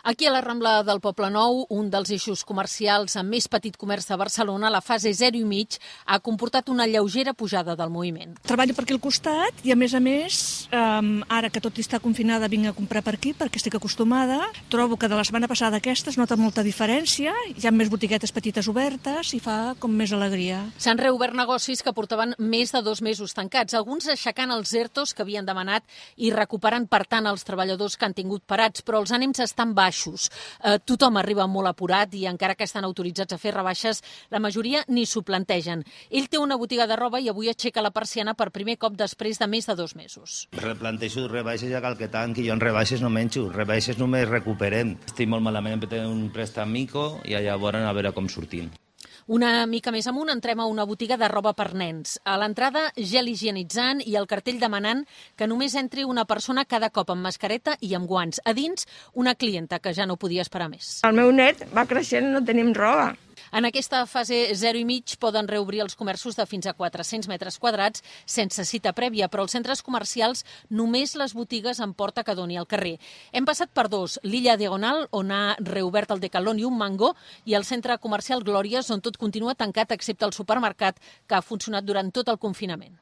Aquí a la Rambla del Poblenou, un dels eixos comercials amb més petit comerç de Barcelona, la fase 0,5 ha comportat una lleugera pujada del moviment. Treballo per aquí al costat i, a més, ara que tot està confinada, vinc a comprar per aquí perquè estic acostumada. Trobo que de la setmana passada aquesta es nota molta diferència. Hi ha més botiguetes petites obertes i fa com més alegria. S'han reobert negocis que portaven més de 2 mesos tancats, alguns aixecant els ERTOs que havien demanat i recuperant, per tant, els treballadors que han tingut parats, però els ànims estan baixos. Tothom arriba molt apurat i encara que estan autoritzats a fer rebaixes, la majoria ni s'ho plantegen. Ell té una botiga de roba i avui aixeca la persiana per primer cop després de més de 2 mesos. Replantejo rebaixes ja cal que tanqui, jo en rebaixes no menjo, rebaixes només recuperem. Estic molt malament per tenir un préstec mico i llavors a veure com sortim. Una mica més amunt entrem a una botiga de roba per nens. A l'entrada, gel higienitzant i el cartell demanant que només entri una persona cada cop amb mascareta i amb guants. A dins, una clienta que ja no podia esperar més. El meu net va creixent, no tenim roba. En aquesta fase 0,5 poden reobrir els comerços de fins a 400 metres quadrats sense cita prèvia, però als centres comercials només les botigues en porta que doni al carrer. Hem passat per 2, l'Illa Diagonal, on ha reobert el Decathlon i un Mango, i el centre comercial Glòries, on tot continua tancat excepte el supermercat, que ha funcionat durant tot el confinament.